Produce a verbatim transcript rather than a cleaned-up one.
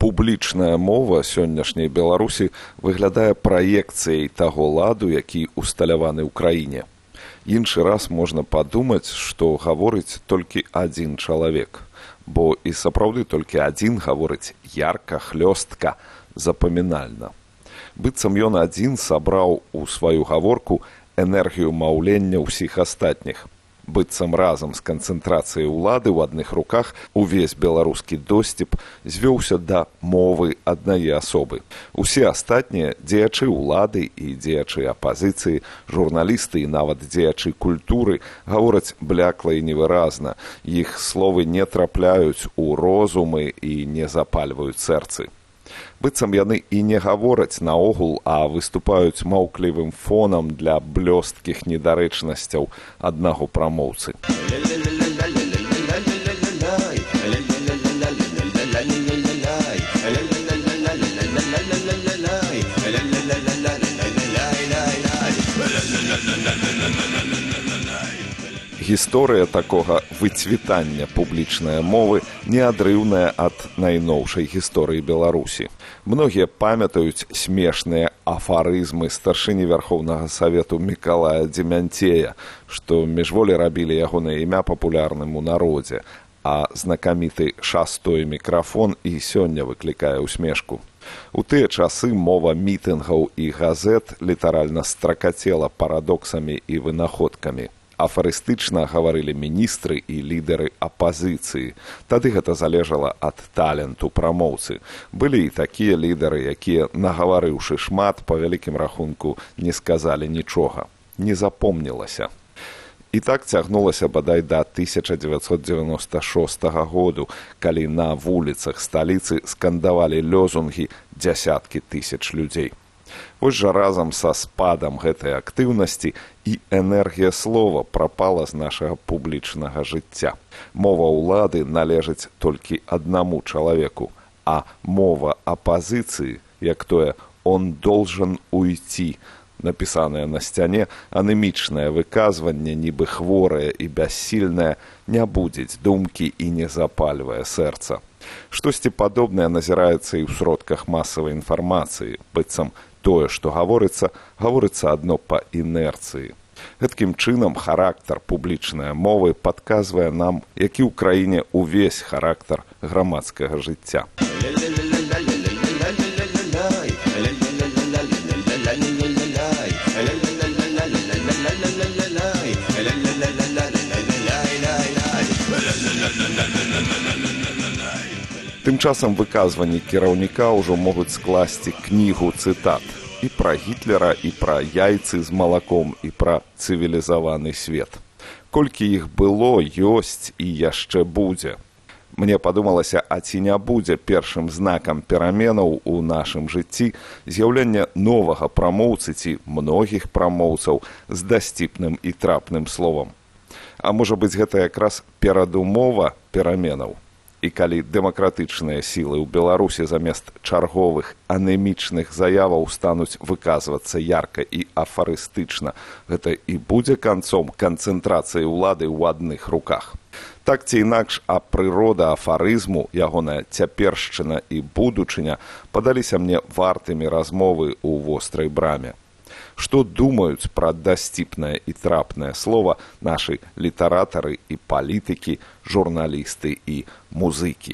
Публічная мова сённяшняй Беларусі выглядае праекцыяй таго ладу, які усталяваны ў краіне. Іншы раз можна падумаць, што гаворыць толькі адзін чалавек, бо і сапраўды толькі адзін гаворыць ярка, хлёстка, запамінальна. Быццам ён адзін сабраў у сваю гаворку энергію маўлення ўсіх астатніх. Быццам разам з канцэнтрацыяй улады ў адных руках увесь беларускі досціп звёўся да мовы аднае асобы. Усе астатнія дзеячы ўлады і дзеячы апазіцыі, журналісты і нават дзеячы культуры гавораць блякла і невыразна. Іх словы не трапляюць у розумы і не запальваюць сэрцы. Быццам яны і не гавораць наогул, а выступаюць маўклівым фонам для блёсткіх недарэчнасцяў аднаго прамоўцы. Гісторыя такога выцвітання публічнай мовы неадрыўная ад найноўшай гісторыі Беларусі. Многія памятаюць смешныя афарызмы старшыні Вярхоўнага Савету Мікалая Дземянцея, што міжволі рабілі ягонае імя папулярным у народзе, а знакаміты шастой мікрафон і сёння выклікае ўсмешку. У тыя часы мова мітынгаў і газет літаральна стракацела парадоксамі і вынаходкамі. Афарыстычна гаварылі міністры і лідары апазіцыі. Тады гэта залежала ад таленту прамоўцы. Былі і такія лідары, якія, нагаварыўшы шмат, па вялікім рахунку не сказалі нічога. Не запомнілася. І так цягнулася бадай да тысяча дзевяцьсот дзевяноста шостага году, калі на вуліцах сталіцы скандавалі лозунгі дзясяткі тысяч людзей. Вось жа разам са спадам гэтай актыўнасці і энергія слова прапала з нашага публічнага жыцця. Мова ўлады належыць толькі аднаму чалавеку, а мова апазіцыі, як тое «он должен уйти», напісанае на сцяне, анемічнае выказванне, нібы хворае і бяссільнае, не будзець думкі і не запальвае сэрца. Штосьці падобнае назіраецца і ў сродках масавай інфармацыі, быццам тое, што гаворыцца, гаворыцца адно па інерцыі. Гэткім чынам характар публічнай мовы падказвае нам, які ў краіне ўвесь характар грамадскага жыцця. Тым часам выказванні кіраўніка ўжо могуць скласці кнігу цытат і пра Гітлера, і пра яйцы з малаком, і пра цывілізаваны свет. Колькі іх было, ёсць і яшчэ будзе. Мне падумалася, а ці не будзе першым знакам пераменаў у нашым жыцці з'яўлення новага прамоўцы ці многіх прамоўцаў з дасціпным і трапным словам. А можа быць, гэта якраз перадумова пераменаў. І калі дэмакратычныя сілы ў Беларусі замест чарговых анемічных заяваў стануць выказвацца ярка і афарыстычна, гэта і будзе канцом канцэнтрацыі ўлады ў адных руках. Так ці інакш, а прырода афарызму, ягоная цяпершчына і будучыня падаліся мне вартымі размовы ў вострай браме. Што думаюць пра дасціпнае і трапнае слова нашы літаратары і палітыкі, журналісты і музыкі.